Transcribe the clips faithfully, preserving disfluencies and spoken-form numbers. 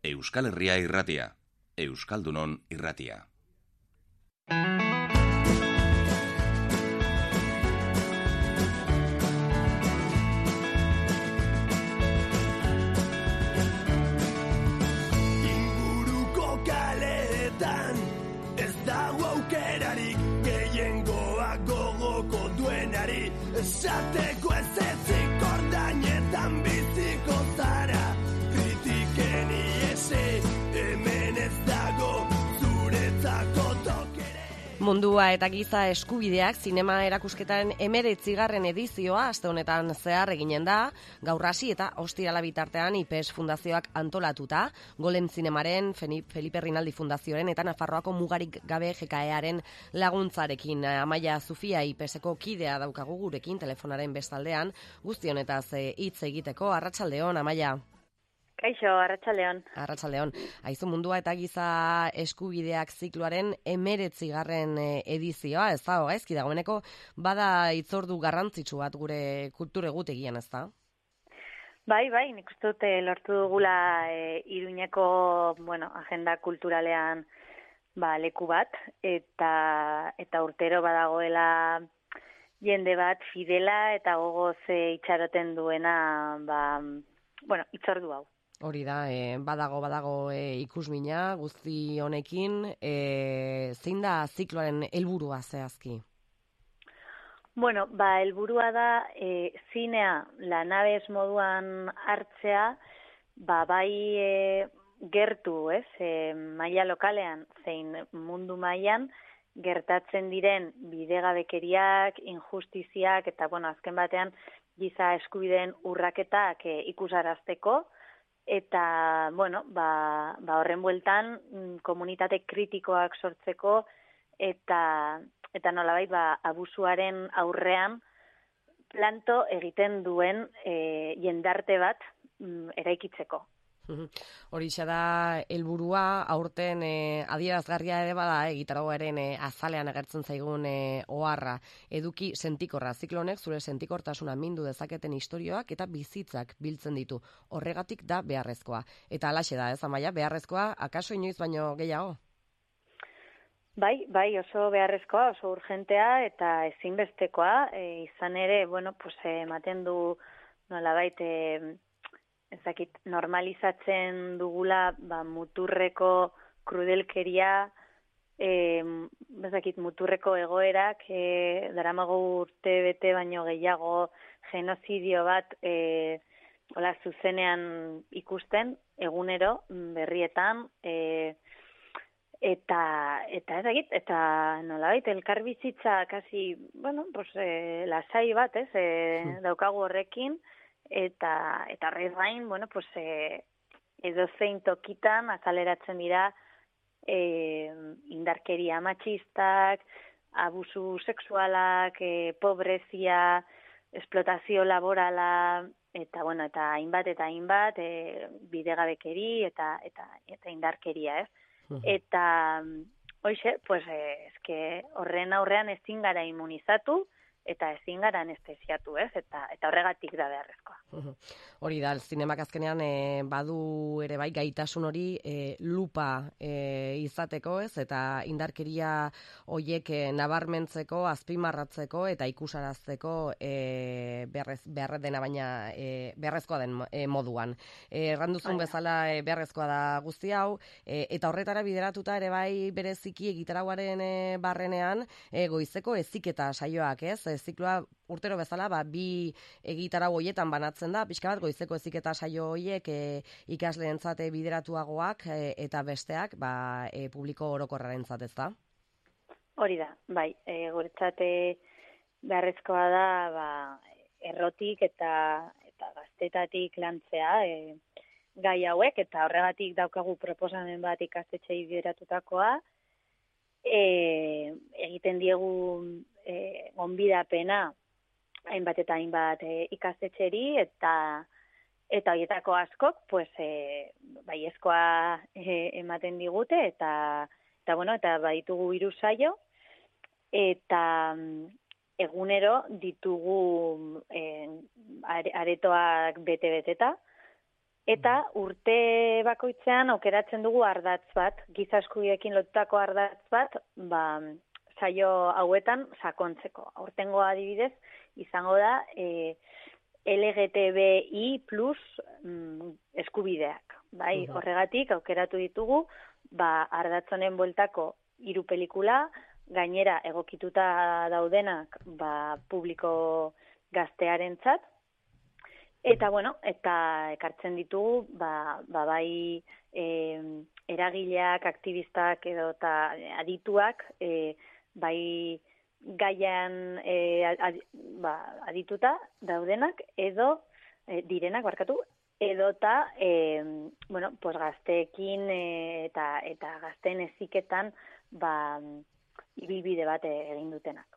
Euskal Herria irratia, Euskaldunon irratia. Inguruko kaleetan ez dago aukerarik, gehiengoak gogoko duenari esateko ez ezik ordainetan biziko zara. Kritiken iese, hemen ez dago zuretzako tokere. Mundua eta giza eskubideak zinema erakusketaren hemeretzigarren edizioa aste honetan zehar eginen da, gaur hasi eta ostirala bitartean I P E S Fundazioak antolatuta, Golem Zinemaren, Felipe Rinaldi Fundazioaren eta Nafarroako Mugarik Gabe G K Earen laguntzarekin. Amaia Zufia I P E Seko kidea daukagu gurekin telefonaren bestaldean, guzti honetaz hitz egiteko. Arratsaldeon, Amaia. Kaixo, arratsaldeon. Arratsaldeon. Aizu, Mundua eta giza eskubideak zikloaren hemeretzigarren edizioa, ez da, gaizki dagoeneko, bada hitzordu garrantzitsu bat gure kultur egutegian, ez da? Bai, bai, nik uste dut lortu dugula e, Iruñeko, bueno, agenda kulturalean ba, leku bat, eta eta urtero badagoela jende bat fidela eta gogoz e, itxaroten duena, ba, bueno, hitzordu hau. Hori da, e, badago, badago e, ikusmina guzti honekin, e, zein da zikloaren helburua zehazki? Bueno, ba, helburua da e, zinea lanabez moduan hartzea, ba, bai e, gertu, ez, e, maila lokalean, zein mundu mailan gertatzen diren bidegabekeriak, injustiziak, eta, bueno, azken batean, giza eskubideen urraketak e, ikusarazteko, eta, bueno, ba, ba horren bueltan komunitate kritikoak sortzeko eta eta nolabait ba abusuaren aurrean planto egiten duen e, jendarte bat mm, eraikitzeko. Horixe da helburua, aurten e, adierazgarria ere bada egitaragoaren e, azalean agertzen zaigun e, oharra. Eduki sentikorra, ziklo honek zure sentikortasuna mindu dezaketen istorioak eta bizitzak biltzen ditu. Horregatik da beharrezkoa. Eta halaxe da, ez Amaia, beharrezkoa, akaso inoiz baino gehiago? Bai, bai, oso beharrezkoa, oso urgentea eta ezinbestekoa, e, izan ere, bueno, pues ematen du nolabait e, ezakit, normalizatzen dugula ba, muturreko krudelkeria, e, ezakit, muturreko egoerak, e, daramago urte bete baino gehiago genozidio bat e, hola, zuzenean ikusten, egunero, berrietan, e, eta eta ezakit, eta nolabait, elkarbizitza kasi, bueno, pues, e, lasai bat, ez, e, daukagu horrekin, eta eta horrez gain, bueno, pues eh edozein tokitan azaleratzen dira eh indarkeria matxistak, abusu sexualak, eh pobrezia, esplotazio laborala eta bueno, eta hainbat eta hainbat eh bidegabekeri eta eta eta indarkeria, ez? Uh-huh. Eta hoize, pues eh eske horren aurrean ezin gara immunizatu eta ezin gara anestesiatu, ez? Eta eta horregatik da beharrezkoa. Hori da, zinemak azkenean e, badu ere bai gaitasun hori e, lupa e, izateko, ez? Eta indarkeria hoiek e, nabarmentzeko, azpimarratzeko eta ikusarazteko e, beharrez, beharrez dena baina e, beharrezkoa den e, moduan. E, erranduzun bezala e, beharrezkoa da guzti hau, e, eta horretara bideratuta ere bai bereziki egitaragoaren e, barrenean e, goizeko heziketa saioak, ez? Zikloa urtero bezala, ba, bi egitarau hoietan banatzen da, pixka bat goizeko heziketa saio hoiek e, ikasleentzat bideratuagoak e, eta besteak ba, e, publiko orokorrarentzat, ez da? Hori da, bai, e, guretzat beharrezkoa da ba, errotik eta eta gaztetatik lantzea e, gai hauek, eta horregatik daukagu proposamen bat ikastetxei bideratutakoa, e, egiten diegu e, gonbidapena hainbat eta hainbat e, ikastetxeri, eta eta horietako askok, pues, e, baiezkoa e, ematen digute, eta eta bueno, eta baditugu hiru saio, eta egunero ditugu e, aretoak bete-beteta, Eta urte bakoitzean aukeratzen dugu ardatz bat, giza eskubideekin lotutako ardatz bat, ba, saio hauetan sakontzeko. Aurtengo adibidez, izango da e, L G T B I plus mm, eskubideak. Bai, uh-huh. Horregatik aukeratu ditugu, ba, ardatz honen bueltako hiru pelikula, gainera egokituta daudenak ba, publiko gaztearentzat. Eta, bueno, eta ekartzen ditugu, ba, ba bai e, eragileak, aktivistak edo eta adituak, e, bai gaian e, ad, ba, adituta daudenak edo e, direnak, barkatu, edo eta, e, bueno, pues gazteekin e, eta, eta gazteen heziketan, ba, ibilbide bat egin dutenak.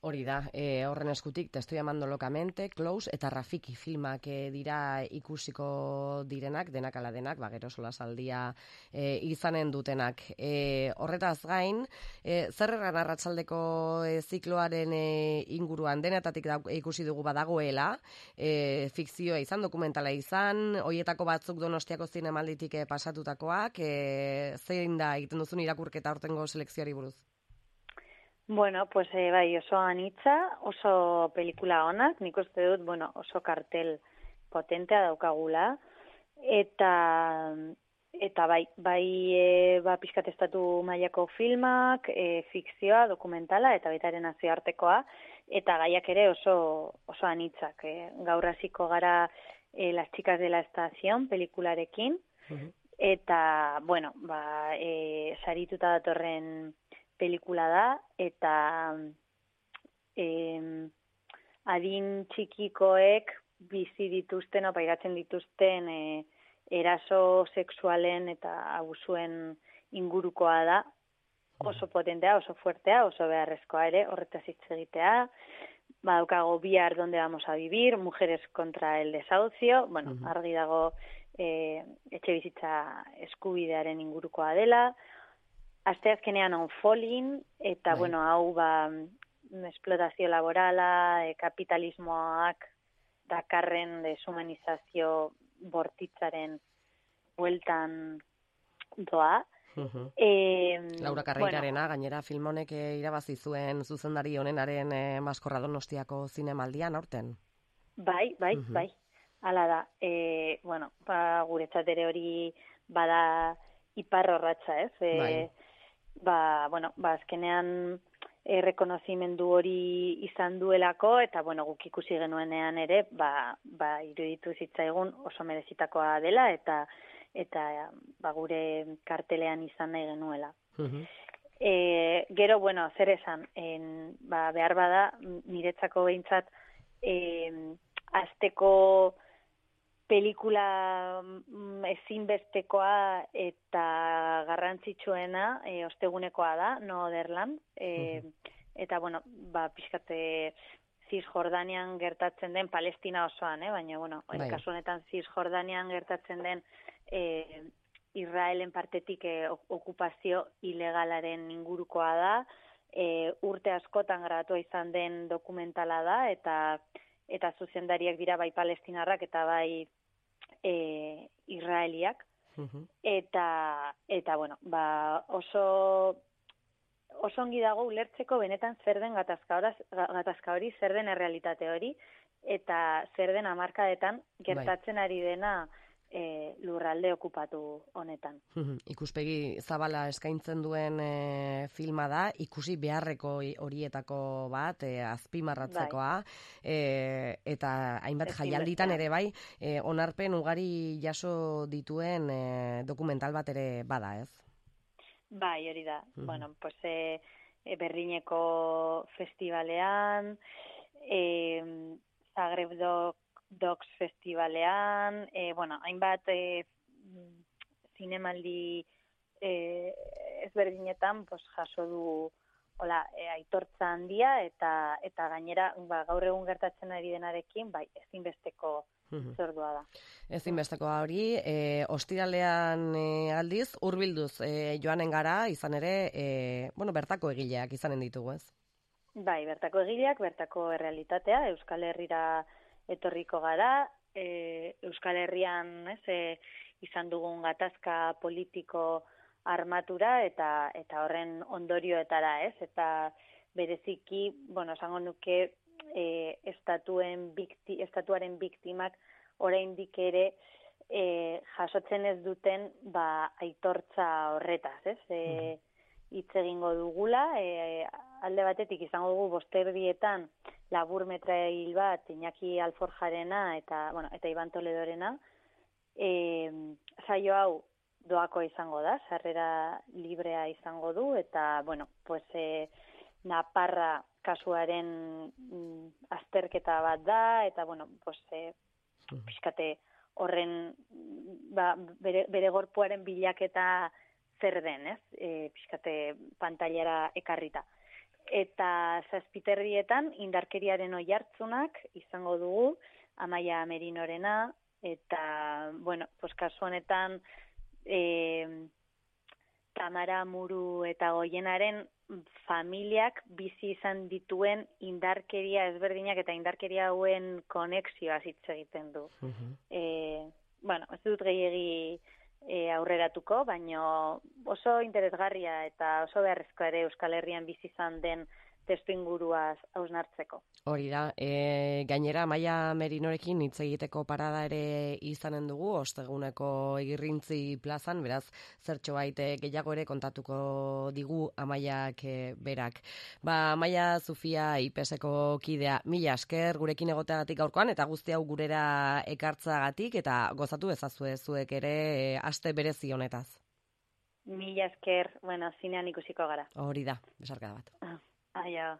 Hori da, e, horren eskutik Te estoy amando locamente, Close eta Rafiki filmak e, dira ikusiko direnak, denak ala denak, ba, gero solasaldia e, izanen dutenak. E, horretaz gain, e, zer erran arratsaldeko e, zikloaren e, inguruan denetatik da, ikusi dugu badagoela, e, fikzioa izan, dokumentala izan, hoietako batzuk Donostiako zinemalditik e, pasatutakoak, e, zein da egiten duzun irakurketa aurtengo selekzioari buruz? Bueno, pues eh, bai, oso anitza, oso pelikula onak, nik uste dut, bueno, oso kartel potentea daukagula, eta eta bai, bai e, ba, pixkatestatu mailako filmak, e, fikzioa, dokumentala, eta baitaren nazioartekoa, eta gaiak ere oso, oso anitzak. E, gaur hasiko gara e, Las chicas de la estación pelikularekin, uh-huh. Eta, bueno, ba, e, sarituta datorren pelikula da, eta eh, adin txikikoek bizi dituzten, o pairatzen dituzten eh, eraso sexualen eta abusuen ingurukoa da, oso potentea, oso fuertea, oso beharrezkoa ere, horretaz hitz egitea, badaukago bihar donde vamos a vivir, mujeres contra el desahucio, bueno, uh-huh. Argi dago eh, etxe bizitza eskubidearen ingurukoa dela, asteazkenean on falling, eta, bai. Bueno, hau, ba, esplotazio laborala, e, kapitalismoak dakarren deshumanizazio bortitzaren bueltan doa. Uh-huh. E, Laura Carreirarena, bueno, gainera film honek irabazi zuen zuzendari honenaren e, Maskorra Donostiako zinemaldian aurten. Bai, bai, uh-huh. bai. Hala da, e, bueno, ba, guretzat ere hori bada ipar horratza, ez? E, bai. Ba, bueno, ba, azkenean errekonozimendu hori izan duelako, eta, bueno, guk ikusi genuenean ere, ba, ba iruditu zitzaigun oso merezitakoa dela, eta eta ba, gure kartelean izan nahi genuela. Uh-huh. E, gero, bueno, zer esan, en, ba, behar bada, niretzako behintzat, e, azteko pelikula ezinbestekoa eta garrantzitsuena e, ostegunekoa da, No Otherland, e, uh-huh. Eta, bueno, ba, pixkate Cisjordanian gertatzen den, Palestina osoan, eh? Baina, bueno, bai. Kasu honetan Cisjordanian gertatzen den e, Israelen partetik e, okupazio ilegalaren ingurukoa da, e, urte askotan grabatua izan den dokumentala da, eta eta zuzendariak dira bai palestinarrak eta bai e, israeliak. Uh-huh. Eta, eta, bueno, ba, oso, oso ongi dago ulertzeko benetan zer den gatazka hori, zer den errealitate hori, eta zer den hamarkadetan gertatzen bai. Ari dena e, lurralde okupatu honetan. Uh-huh. Ikuspegi zabala eskaintzen duen e, filma da, ikusi beharreko horietako bat, e, azpimarratzekoa, bai. e, eta hainbat jaialditan ere bai, e, onarpen ugari jaso dituen e, dokumental bat ere bada, ez? Bai, hori da. Uh-huh. Bueno, pues e, e, Berlineko festivalean, e, Zagreb Dok Docs Festivalean, e, bueno, hainbat e, zinemaldi e, ezberdinetan pues, jaso du hola, e, aitortza handia, eta eta gainera ba, gaur egun gertatzen ari denarekin, bai, ezinbesteko uh-huh. zordua da. Ezinbestekoa hori, e, ostiralean e, aldiz, hurbilduz e, joanen gara, izan ere, e, bueno, bertako egileak izanen ditugu, ez? Bai, bertako egileak, bertako errealitatea, Euskal Herrira etorriko gara, e, Euskal Herrian, ez, e, izan dugun gatazka politiko armatura eta eta horren ondorioetara, ez? Eta bereziki, bueno, esango nuke e, estatuen bikti, estatuaren biktimak oraindik ere e, jasotzen ez duten ba aitortza horretaz, ez? E, hitz egingo dugula, e, alde batetik izango dugu bosterdietan labur metrail bat Iñaki Alforjarena eta, bueno, eta Iban Toledorena. E, saio hau doako izango da, sarrera librea izango du, eta, bueno, pues, e, Naparra kasuaren mm, azterketa bat da, eta, bueno, pues, e, pixkate horren, ba, bere, bere gorpuaren bilaketa zer den, ez? E, pixkate pantailara ekarrita. Eta zazpiterrietan indarkeriaren oihartzunak izango dugu, Amaia Merinorena, eta, bueno, pues, kasu honetan, E, Tamara Muru eta Goienaren familiak bizi izan dituen indarkeria ezberdinak eta indarkeria hauen konexioa hitz egiten du. Uh-huh. E, bueno, ez dut gehiegi e, aurreratuko, baina oso interesgarria eta oso beharrezkoa ere Euskal Herrian bizi izan den testu inguruaz hausnartzeko. Hori da, e, gainera Amaia Merinorekin hitz egiteko parada ere izanen dugu, osteguneko Igirrintzi plazan, beraz, zertxo baite gehiago ere kontatuko digu Amaiak e, berak. Ba, Amaia Zufia I P S-eko kidea, mila esker gurekin egoteagatik gaurkoan, eta guzti hau gurera ekartzagatik, eta gozatu ezazue zuek ere e, aste berezi honetaz. Mila esker, bueno, zinean ikusiko gara. Hori da, besarkada bat. Aia.